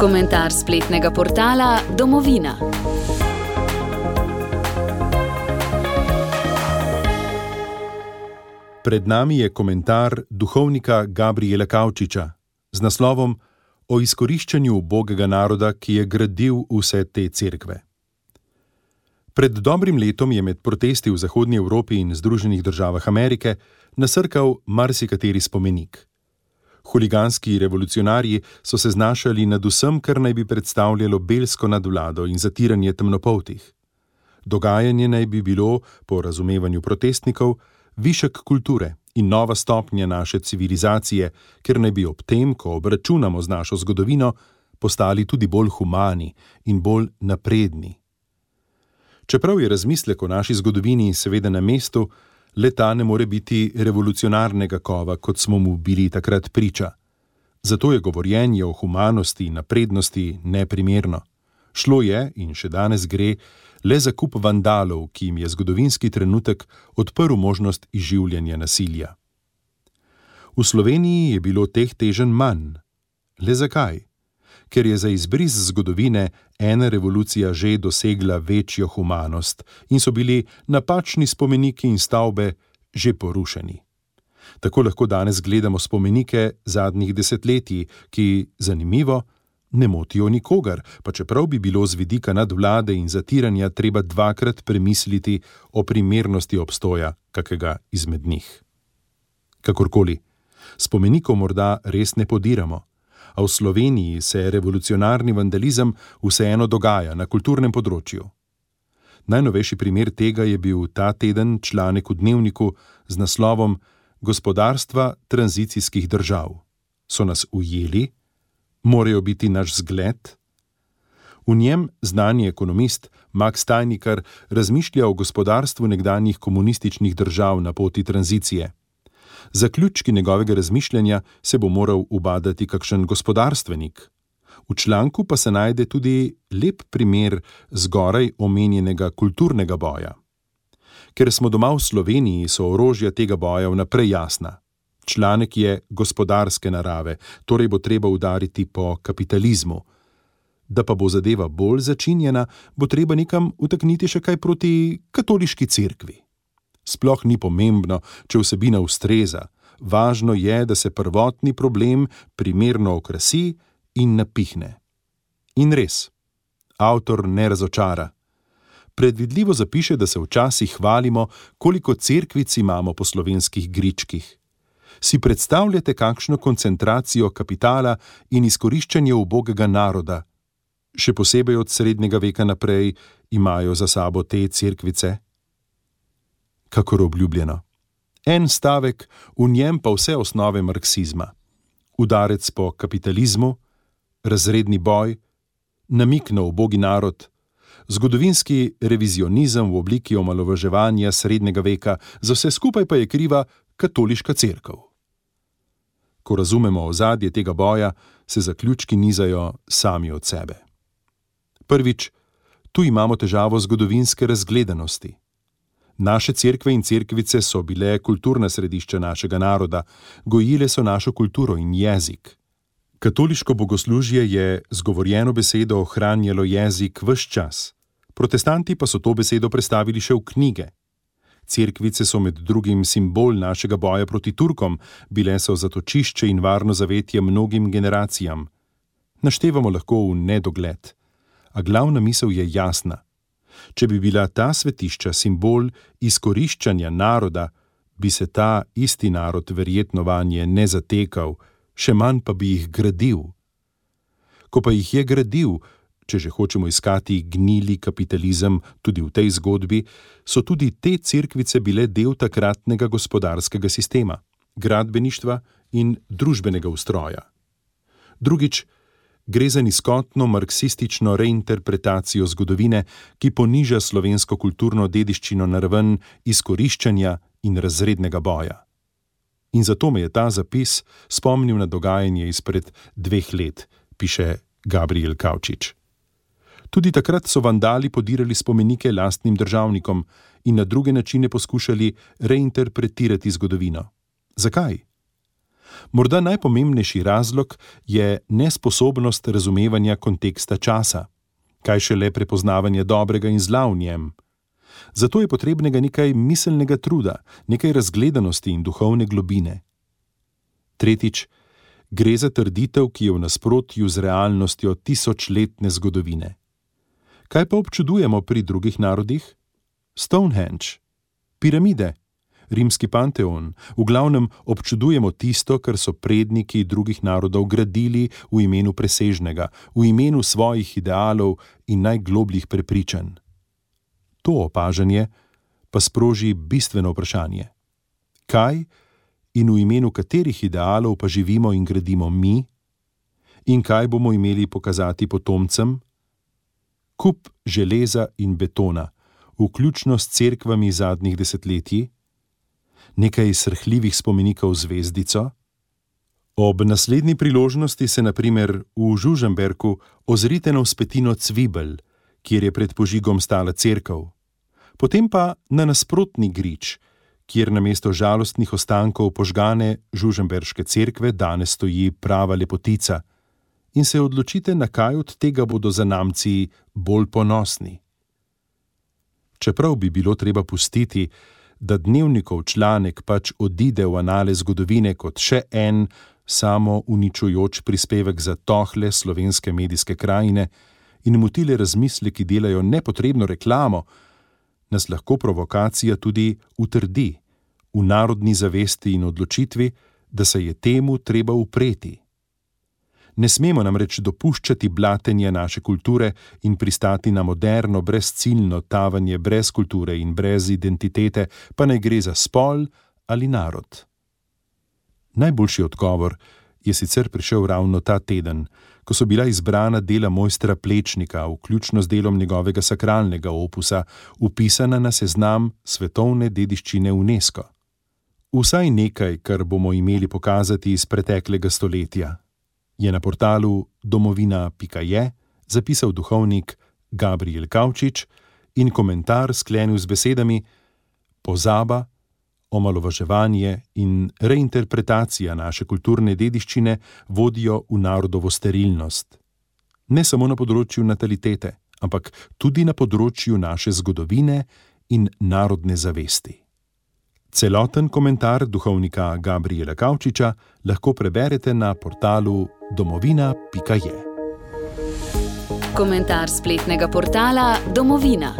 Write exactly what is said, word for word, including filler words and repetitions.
Komentar spletnega portala Domovina. Pred nami je komentar duhovnika Gabriela Kavčiča z naslovom O izkoriščanju ubogega naroda, ki je gradil vse te cerkve. Pred dobrim letom je med protesti v Zahodnji Evropi in Združenih državah Amerike nasrkal marsikateri spomenik. Huliganski revolucionarji so se znašali nad vsem, kar naj bi predstavljalo belsko nadvlado in zatiranje temnopoltih. Dogajanje naj bi bilo, po razumevanju protestnikov, višek kulture in nova stopnja naše civilizacije, ker naj bi ob tem, ko obračunamo z našo zgodovino, postali tudi bolj humani in bolj napredni. Čeprav je razmislek o naši zgodovini seveda na mestu, le ta ne more biti revolucionarnega kova, kot smo mu bili takrat priča. Zato je govorjenje o humanosti in naprednosti neprimerno. Šlo je, in še danes gre, le za kup vandalov, ki jim je zgodovinski trenutek odprl možnost izživljanja nasilja. V Sloveniji je bilo teh teženj manj. Le zakaj? Ker je za izbris zgodovine ena revolucija že dosegla večjo humanost in so bili napačni spomeniki in stavbe že porušeni. Tako lahko danes gledamo spomenike zadnjih desetletij, ki, zanimivo, ne motijo nikogar, pa čeprav bi bilo z vidika nadvlade in zatiranja treba dvakrat premisliti o primernosti obstoja kakega izmed njih. Kakorkoli, spomenikov morda res ne podiramo, a v Sloveniji se revolucionarni vandalizem vseeno dogaja na kulturnem področju. Najnovejši primer tega je bil ta teden članek v Dnevniku z naslovom Gospodarstva tranzicijskih držav. So nas ujeli? Morajo biti naš zgled? V njem znani ekonomist Max Tajnikar razmišlja o gospodarstvu nekdanjih komunističnih držav na poti tranzicije. Zaključki njegovega razmišljanja se bo moral ubadati kakšen gospodarstvenik. V članku pa se najde tudi lep primer zgoraj omenjenega kulturnega boja. Ker smo doma v Sloveniji, so orožja tega boja vnaprej jasna. Članek je gospodarske narave, torej bo treba udariti po kapitalizmu. Da pa bo zadeva bolj začinjena, bo treba nekam utakniti še kaj proti katoliški cerkvi. Sploh ni pomembno, če vsebina ustreza. Važno je, da se prvotni problem primerno okrasi in napihne. In res, avtor ne razočara. Predvidljivo zapiše, da se včasih hvalimo, koliko cerkvic imamo po slovenskih gričkih. Si predstavljate, kakšno koncentracijo kapitala in izkoriščanje ubogega naroda, še posebej od srednjega veka naprej, imajo za sabo te cerkvice? Kakor obljubljeno. En stavek, v njem pa vse osnove marksizma. Udarec po kapitalizmu, razredni boj, namik na ubogi narod, zgodovinski revizionizem v obliki omalovaževanja srednjega veka, za vse skupaj pa je kriva katoliška cerkev. Ko razumemo ozadje tega boja, se zaključki nizajo sami od sebe. Prvič, tu imamo težavo zgodovinske razgledanosti. Naše cerkve in cerkvice so bile kulturna središča našega naroda, gojile so našo kulturo in jezik. Katoliško bogoslužje je z govorjeno besedo ohranjalo jezik ves čas, protestanti pa so to besedo prestavili še v knjige. Cerkvice so med drugim simbol našega boja proti Turkom, bile so zatočišče in varno zavetje mnogim generacijam. Naštevamo lahko v nedogled, a glavna misel je jasna. Če bi bila ta svetišča simbol izkoriščanja naroda, bi se ta isti narod verjetno vanje ne zatekal, še manj pa bi jih gradil. Ko pa jih je gradil, če že hočemo iskati gnili kapitalizem tudi v tej zgodbi, so tudi te cerkvice bile del takratnega gospodarskega sistema, gradbeništva in družbenega ustroja. Drugič, gre za nizkotno marksistično reinterpretacijo zgodovine, ki poniža slovensko kulturno dediščino na raven izkoriščanja in razrednega boja. In zato me je ta zapis spomnil na dogajanje izpred dveh let, piše Gabriel Kavčič. Tudi takrat so vandali podirali spomenike lastnim državnikom in na druge načine poskušali reinterpretirati zgodovino. Zakaj? Morda najpomembnejši razlog je nesposobnost razumevanja konteksta časa, kaj šele prepoznavanje dobrega in zla v njem. Zato je potrebnega nekaj miselnega truda, nekaj razgledanosti in duhovne globine. Tretjič, gre za trditev, ki je v nasprotju z realnostjo tisočletne zgodovine. Kaj pa občudujemo pri drugih narodih? Stonehenge, piramide, rimski panteon, v glavnem občudujemo tisto, kar so predniki drugih narodov gradili v imenu presežnega, v imenu svojih idealov in najglobljih prepričanj. To opažanje pa sproži bistveno vprašanje. Kaj in v imenu katerih idealov pa živimo in gradimo mi? In kaj bomo imeli pokazati potomcem? Kup železa in betona, vključno s cerkvami zadnjih desetletij? Nekaj srhljivih spomenikov zvezdico? Ob naslednji priložnosti se na primer v Žužemberku ozrite na vzpetino Cvibelj, kjer je pred požigom stala cerkev. Potem pa na nasprotni grič, kjer namesto žalostnih ostankov požgane žužemberške cerkve danes stoji prava lepotica, in se odločite, na kaj od tega bodo zanamci bolj ponosni. Čeprav bi bilo treba pustiti, da Dnevnikov članek pač odide v anale zgodovine kot še en samo uničujoč prispevek za tohle slovenske medijske krajine in motile razmisleki delajo nepotrebno reklamo, nas lahko provokacija tudi utrdi v narodni zavesti in odločitvi, da se je temu treba upreti. Ne smemo namreč dopuščati blatenja naše kulture in pristati na moderno, brezciljno tavanje brez kulture in brez identitete, pa naj gre za spol ali narod. Najboljši odgovor je sicer prišel ravno ta teden, ko so bila izbrana dela mojstra Plečnika, vključno z delom njegovega sakralnega opusa, vpisana na seznam svetovne dediščine UNESCO. Vsaj nekaj, kar bomo imeli pokazati iz preteklega stoletja, je na portalu domovina pika je zapisal duhovnik Gabrijel Kavčič in komentar sklenil z besedami: pozaba, omalovaževanje in reinterpretacija naše kulturne dediščine vodijo v narodovo sterilnost. Ne samo na področju natalitete, ampak tudi na področju naše zgodovine in narodne zavesti. Celoten komentar duhovnika Gabrijela Kavčiča lahko preberete na portalu domovina pika je. Komentar spletnega portala Domovina.